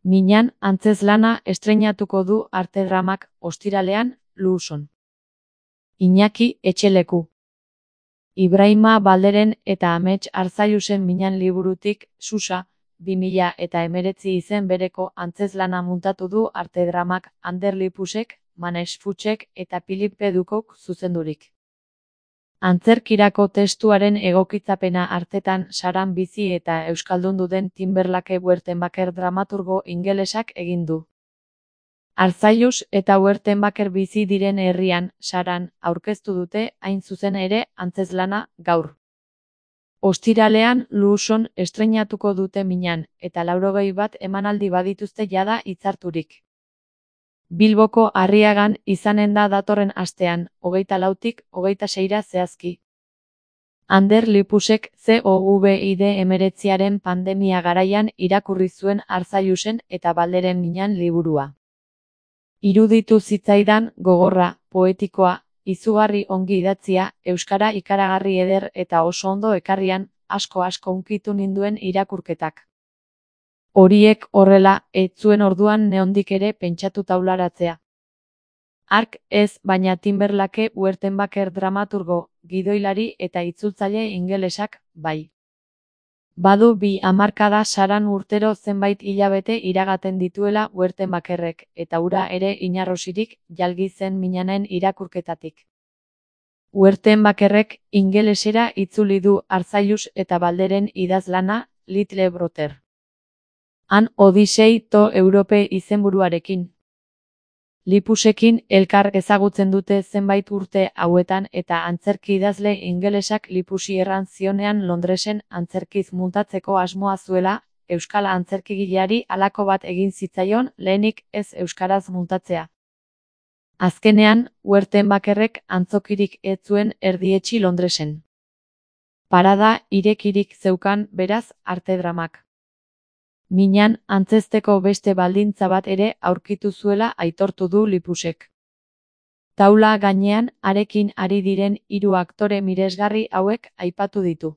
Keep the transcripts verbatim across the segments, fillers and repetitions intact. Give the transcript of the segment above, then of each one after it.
Minan antzezlana estreinatuko du Artedramak ostiralean, Luuson. Iñaki Etxeleku. Ibrahima Balderen eta Amets Arzallusen Minan liburutik, Susa, bi mila eta hemeretzi izen bereko antzezlana muntatu du Artedramak Ander Lipusek, Manex Futsek eta Philippe Dukok zuzendurik. Antzerkirako testuaren egokitzapena artetan Saran bizi eta euskaldundu den Timberlake Wertenbaker dramaturgo ingelesak egin du. Arzallus eta Wertenbaker bizi diren herrian, Saran, aurkeztu dute hain zuzen ere antzezlana gaur. Ostiralean Luuson estreinatuko dute Minan, eta laurogei bat emanaldi badituzte jada hitzarturik. Bilboko Arriagan izanen da datorren astean, hogeita lautik hogeita seira zehazki. Ander Lipusek COVID hemeretziaren pandemia garaian irakurri zuen Arzallusen eta Balderen Minan liburua. Iruditu zitzaidan gogorra, poetikoa, izugarri ongi idatzia, euskara ikaragarri eder eta oso ondo ekarrian, asko-asko hunkitu ninduen irakurketak. Horiek horrela, ez zuen orduan neondik ere pentsatu taularatzea. Hark ez, baina Timberlake Wertenbaker dramaturgo, gidoilari eta itzultzaile ingelesak, bai. Badu bi hamarkada Saran urtero zenbait hilabete iragaten dituela Wertenbakerrek, eta hura ere inarrosirik jalgi zen Minanen irakurketatik. Wertenbakerrek ingelesera itzuli du Arzallus eta Balderen idazlana, Little Brother. Han Odisei to Europe izenburuarekin. Lipusekin elkar ezagutzen dute zenbait urte hauetan eta antzerki idazle ingelesak Lipusi erran zionean Londresen antzerkiz muntatzeko asmoa zuela, euskal antzerkigileari halako bat egin zitzaion lehenik ez euskaraz muntatzea. Azkenean, Wertenbakerrek antzokirik ez zuen erdietsi Londresen. Parada irekirik zeukan beraz Artedramak. Minan antzezteko beste baldintza bat ere aurkitu zuela aitortu du Lipusek. Taula gainean arekin ari diren hiru aktore miresgarri hauek aipatu ditu.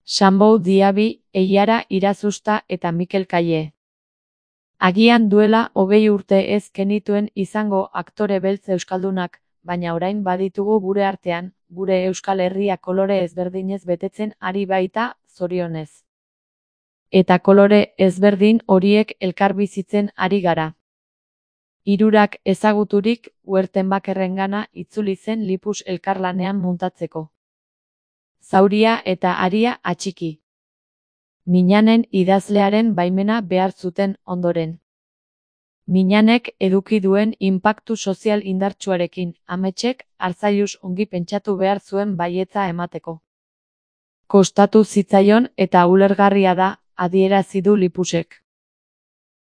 Sambou Diaby, Eiara Irazusta eta Mikel Kaye. Agian duela hogei urte ez genituen izango aktore beltz euskaldunak, baina orain baditugu gure artean, gure Euskal Herria kolore ezberdinez betetzen ari baita, zorionez. Eta kolore ezberdin horiek elkarbizitzen ari gara. Hirurak ezaguturik Wertenbakerrengana itzuli zen Lipus elkarlanean muntatzeko. Zauria eta aria atxiki. Minanen idazlearen baimena behar zuten ondoren. Minanek eduki duen inpaktu sozial indartsuarekin, Ametsek Arzallus ongi pentsatu behar zuen baietza emateko. Kostatu zitzaion eta ulergarria da, adierazi du Lipusek.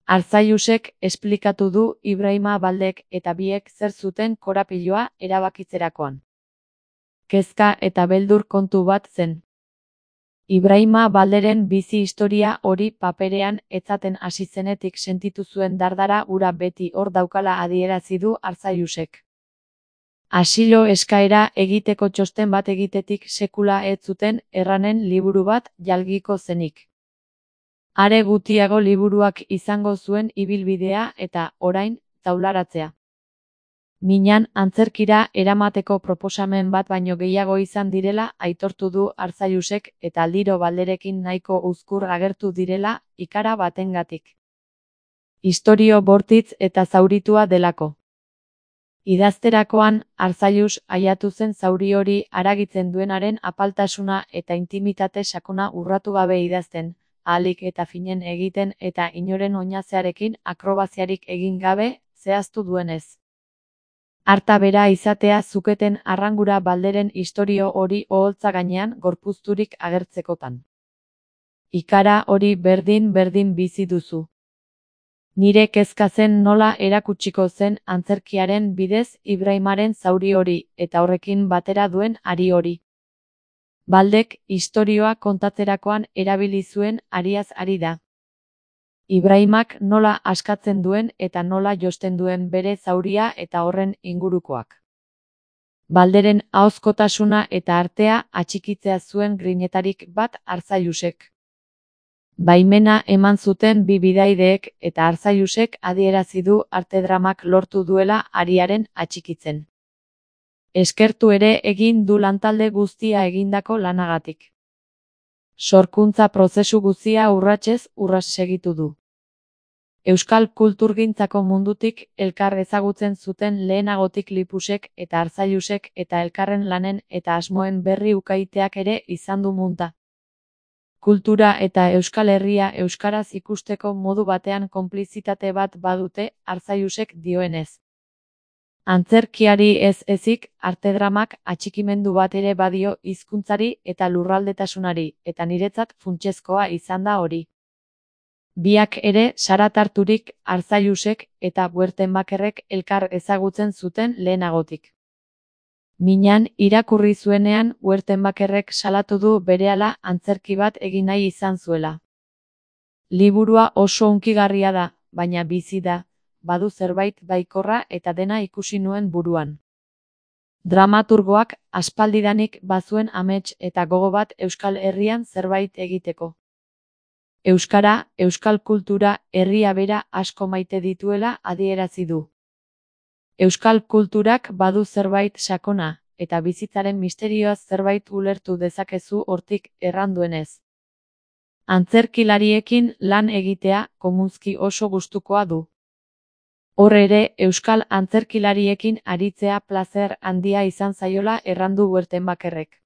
Arzallusek esplikatu du Ibrahima Baldek eta biek zer zuten korapiloa erabakitzerakoan. Kezka eta beldur kontu bat zen. Ibrahima Balderen bizi historia hori paperean etzaten hasi zenetik sentitu zuen dardara ura beti hor daukala adierazi du Arzallusek. Asilo eskaera egiteko txosten bat egitetik sekula ez zuten erranen liburu bat jalgiko zenik. Are gutiago liburuak izango zuen ibilbidea eta, orain, taularatzea. Minan antzerkira eramateko proposamen bat baino gehiago izan direla aitortu du Arzallusek eta aldiro Balderekin nahiko uzkur agertu direla ikara batengatik. Istorio bortitz eta zauritua delako. Idazterakoan, Arzallus aiatu zen zauri hori haragitzen duenaren apaltasuna eta intimitate sakona urratu gabe idazten, ahalik eta finen egiten eta inoren oinazearekin akrobaziarik egin gabe, zehaztu duenez. Harta bera izatea zuketen arrangura Balderen istorio hori oholtza gainean gorpuzturik agertzekotan. Ikara hori berdin-berdin bizi duzu. Nire kezka zen nola erakutsiko zen antzerkiaren bidez Ibrahimaren zauri hori eta horrekin batera duen ari hori. Baldek istorioa kontatzerakoan erabili zuen ariaz ari da. Ibrahimak nola askatzen duen eta nola josten duen bere zauria eta horren ingurukoak. Balderen ahozkotasuna eta artea atxikitzea zuen grinetarik bat Arzallusek. Baimena eman zuten bi bidaideek eta Arzallusek adierazi du artedramak lortu duela ariaren atxikitzen. Eskertu ere egin du lantalde guztia egindako lanagatik. Sorkuntza prozesu guztia urratsez urras segitu du. Euskal kulturgintzako mundutik elkar ezagutzen zuten lehenagotik Lipusek eta Arzallusek eta elkarren lanen eta asmoen berri ukaiteak ere izan du munta. Kultura eta Euskal Herria euskaraz ikusteko modu batean konplizitate bat badute, Arzallusek dioenez. Antzerkiari ez ezik, artedramak atxikimendu bat ere badio hizkuntzari eta lurraldetasunari, eta niretzat funtsezkoa izan da hori. Biak ere saratarturik Arzallusek eta Wertenbakerrek elkar ezagutzen zuten lehenagotik. Minan irakurri zuenean Wertenbakerrek salatu du berehala antzerki bat egin nahi izan zuela. Liburua oso hunkigarria da, baina bizi da, badu zerbait baikorra eta dena ikusi nuen buruan. Dramaturgoak aspaldidanik bazuen amets eta gogo bat Euskal Herrian zerbait egiteko. Euskara, euskal kultura, herria bera asko maite dituela adierazi du. Euskal kulturak badu zerbait sakona, eta bizitzaren misterioaz zerbait ulertu dezakezu hortik erranduenez. Antzerkilariekin lan egitea komunzki oso gustukoa du. Hor ere, euskal antzerkilariekin aritzea plazer handia izan zaiola errandu Wertenbakerrek.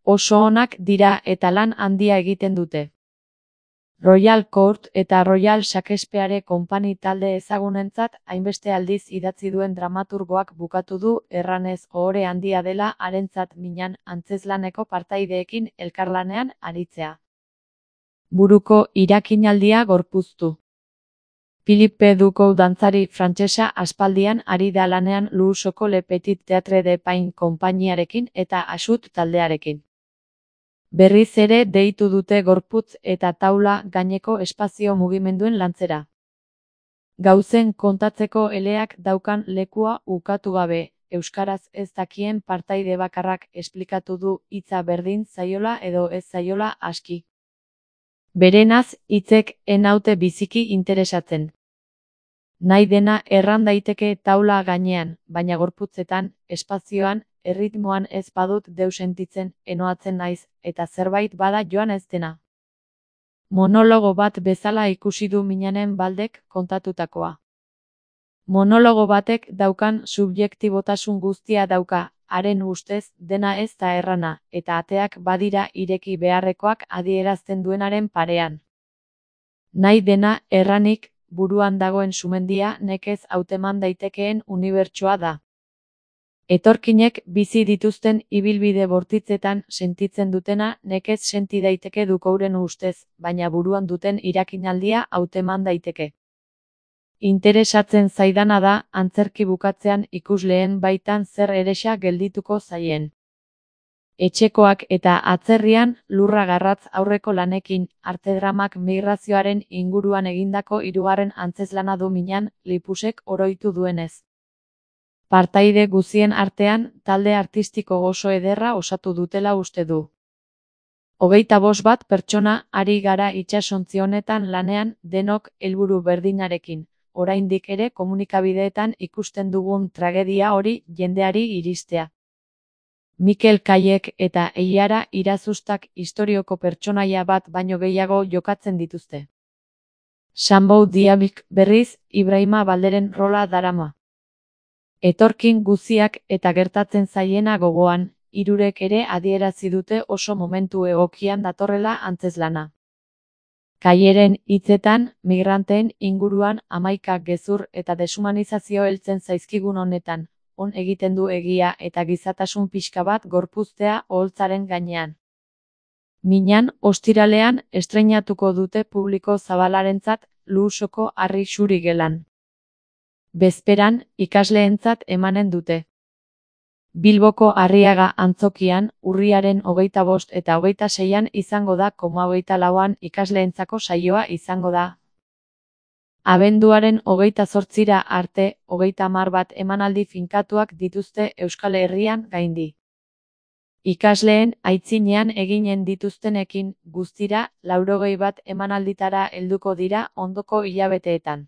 Oso onak dira eta lan handia egiten dute. Royal Court eta Royal Shakespeare Company talde ezagunentzat hainbeste aldiz idatzi duen dramaturgoak bukatu du erranez ohore handia dela harentzat Minan antzezlaneko partaideekin elkarlanean aritzea. Buruko irakinaldia gorpuztu. Philippe Ducou dantzari frantsesa aspaldian ari da lanean Luusoko Le Petit Theatre de Pain konpainiarekin eta Axut taldearekin. Berriz ere deitu dute gorputz eta taula gaineko espazio mugimenduen lantzera. Gauzen kontatzeko eleak daukan lekua ukatu gabe, euskaraz ez dakien partaide bakarrak esplikatu du hitza berdin zaiola edo ez zaiola aski. Berenaz hitzek ez naute biziki interesatzen. Nahi dena erran daiteke taula gainean, baina gorputzetan, espazioan, erritmoan ez badut deus sentitzen, enoatzen naiz, eta zerbait bada joan ez dena. Monologo bat bezala ikusi du Minanen Baldek kontatutakoa. Monologo batek daukan subjektibotasun guztia dauka, haren ustez dena ez da errana, eta ateak badira ireki beharrekoak adierazten duenaren parean. Nahi dena erranik, buruan dagoen sumendia nekez hauteman daitekeen unibertsoa da. Etorkinek bizi dituzten ibilbide bortitzetan sentitzen dutena nekez senti daiteke Dukouren ustez, baina buruan duten irakinaldia hauteman daiteke. Interesatzen zaidana da, antzerki bukatzean ikusleen baitan zer eresa geldituko zaien. Etxekoak eta atzerrian lurra garratz aurreko lanekin, artedramak migrazioaren inguruan egindako hirugarren antzezlana du Minan, Lipusek oroitu duenez. Partaide guzien artean, talde artistiko oso ederra osatu dutela uste du. Hogeita bost bat pertsona ari gara itsasontzi honetan lanean denok helburu berdinarekin, oraindik ere komunikabideetan ikusten dugun tragedia hori jendeari iristea. Mikel Kaiek eta Eiara Irazustak historioko pertsonaia bat baino gehiago jokatzen dituzte. Sambou Diabik berriz, Ibrahima Balderen rola darama. Etorkin guziak eta gertatzen zaiena gogoan, hirurek ere adierazi dute oso momentu egokian datorrela antzezlana. Kaieren hitzetan, migranteen inguruan hamaika gezur eta deshumanizazio heltzen zaizkigun honetan, on egiten du egia eta gizatasun pixka bat gorpuztea oholtzaren gainean. Minan, ostiralean, estreinatuko dute publiko zabalarentzat Luusoko Harri Xuri gelan. Bezperan, ikasleentzat emanen dute. Bilboko Arriaga antzokian, urriaren hogeita bost eta hogeita seian izango da koma hogeita lauan ikasleentzako saioa izango da. Abenduaren hogeita zortzira arte, hogeita hamar bat emanaldi finkatuak dituzte Euskal Herrian gaindi. Ikasleen aitzinean eginen dituztenekin guztira laurogei bat emanalditara helduko dira ondoko hilabeteetan.